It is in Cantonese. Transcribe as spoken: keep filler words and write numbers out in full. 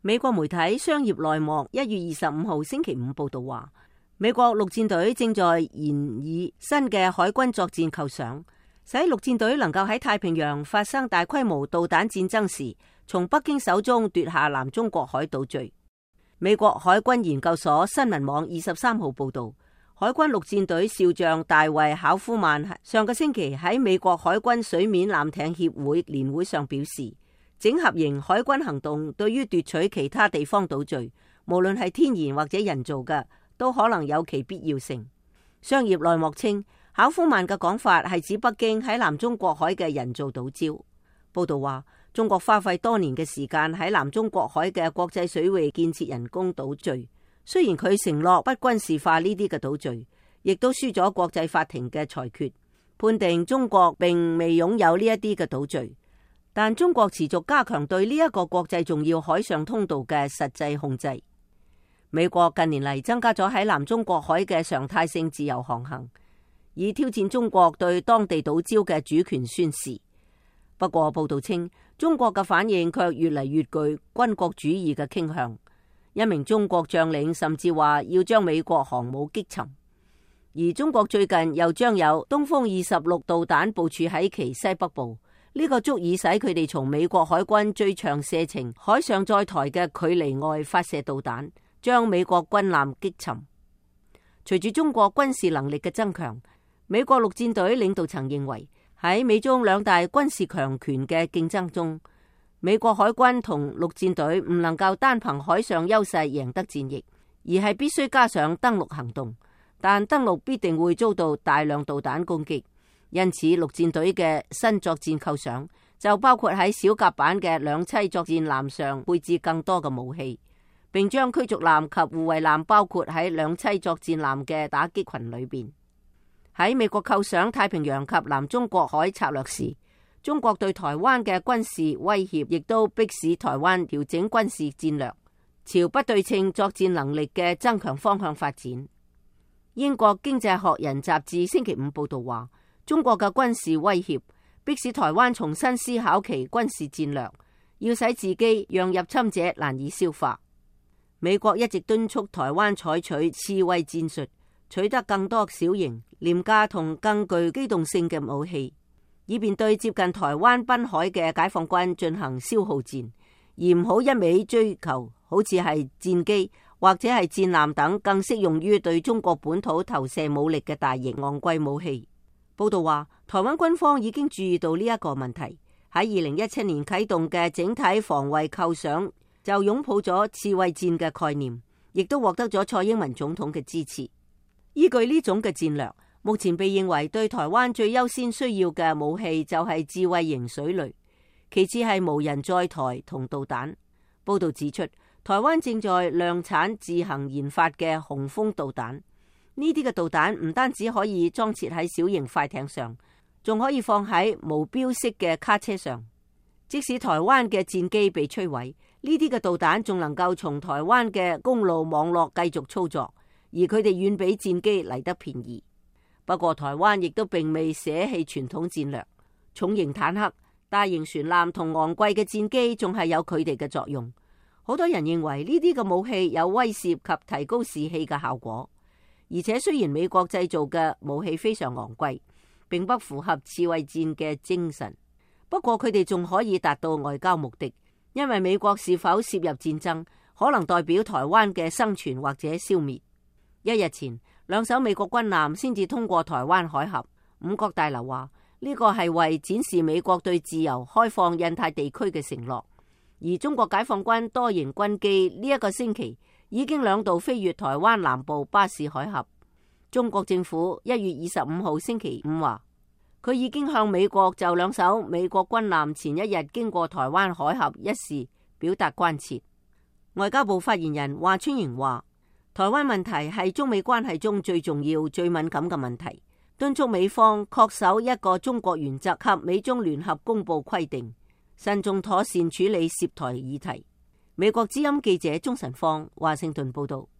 美國媒體《商業內幕》一月二十五號星期五報道話，美國陸戰隊正在研擬新嘅海軍作戰構想，使陸戰隊能夠喺太平洋發生大規模導彈戰爭時，從北京手中奪下南中國海島嶼。美國海軍研究所新聞網二十三號報道，海軍陸戰隊少將大衛考夫曼上個星期喺美國海軍水面艦艇協會年會上表示，整合型海軍行動對於奪取其他地方島嶼，無論係天然或者人造嘅，都可能有其必要性。商業內幕稱，考夫曼嘅講法係指北京喺南中國海嘅人造島礁。報道話，中國花費多年嘅時間喺南中國海嘅國際水域建設人工島嶼，雖然佢承諾不軍事化呢啲嘅島嶼，亦都輸咗國際法庭嘅裁決，判定中國並未擁有呢一啲嘅島嶼。但中國持續加強對呢一個國際重要海上通道嘅實際控制。美國近年嚟增加咗喺南中國海嘅常態性自由航行，以挑戰中國對當地島礁嘅主權宣示。不過報道稱，中國嘅反應卻越嚟越具軍國主義嘅傾向。一名中國將領甚至話要將美國航母擊沉。而中國最近又將有東風二十六導彈部署喺其西北部。呢個足以使佢哋從美國海軍最長射程海上載台嘅距離外發射導彈，將美國軍艦擊沉。隨住中國軍事能力嘅增強，美國陸戰隊領導層認為喺美中兩大軍事強權嘅競爭中，美國海軍同陸戰隊唔能夠單憑海上優勢贏得戰役，而係必須加上登陸行動。但登陸必定會遭到大量導彈攻擊。因此，陸戰隊嘅新作戰構想就包括喺小甲板嘅兩棲作戰艦上配置更多嘅武器，並將驅逐艦及護衛艦包括喺兩棲作戰艦嘅打擊群裏邊。喺美國構想太平洋及南中國海策略時，中國對台灣嘅軍事威脅亦都迫使台灣調整軍事戰略，朝不對稱作戰能力嘅增強方向發展。英國經濟學人雜誌星期五報道話，中國嘅軍事威脅迫使台灣重新思考其軍事戰略，要使自己讓入侵者難以消化。美國一直敦促台灣採取刺蝟戰術，取得更多小型、廉價同更具機動性嘅武器，以便對接近台灣濱海嘅解放軍進行消耗戰，而唔好一味追求好似係戰機或者係戰艦等更適用於對中國本土投射武力嘅大型昂貴武器。報道話，台灣軍方已經注意到呢一個問題，喺二零一七年啟動嘅整體防衛構想就擁抱咗刺蝟戰嘅概念，亦都獲得咗蔡英文總統嘅支持。依據呢種嘅戰略，目前被認為對台灣最優先需要嘅武器就係智慧型水雷，其次係無人載台同導彈。報道指出，台灣正在量產自行研發嘅雄風導彈。呢啲嘅導彈唔單止可以裝設喺小型快艇上，仲可以放喺無標式嘅卡車上。即使台灣嘅戰機被摧毀，呢啲嘅導彈仲能夠從台灣嘅公路網絡繼續操作，而佢哋遠比戰機嚟得便宜。不過台灣亦都並未捨棄傳統戰略，重型坦克、大型船艦同昂貴嘅戰機仲係有佢哋嘅作用。好多人認為呢啲嘅武器有威懾及提高士氣嘅效果。而且雖然美國製造嘅武器非常昂貴，並不符合刺蝟戰嘅精神，不過佢哋仲可以達到外交目的，因為美國是否涉入戰爭，可能代表台灣嘅生存或者消滅。一日前，兩艘美國軍艦先至通過台灣海峽。五角大樓話呢個係為展示美國對自由開放印太地區嘅承諾。而中國解放軍多型軍機呢一個星期已經兩度飛越台灣南部巴士海峽。中國政府一月二十五號星期五話，佢已經向美國就兩艘美國軍艦前一日經過台灣海峽一事表達關切。外交部發言人華春瑩話，台灣問題係中美關係中最重要、最敏感嘅問題，敦促美方恪守一個中國原則及美中聯合公報規定，慎重妥善處理涉台議題。美國之音記者鍾晨芳華盛頓報道。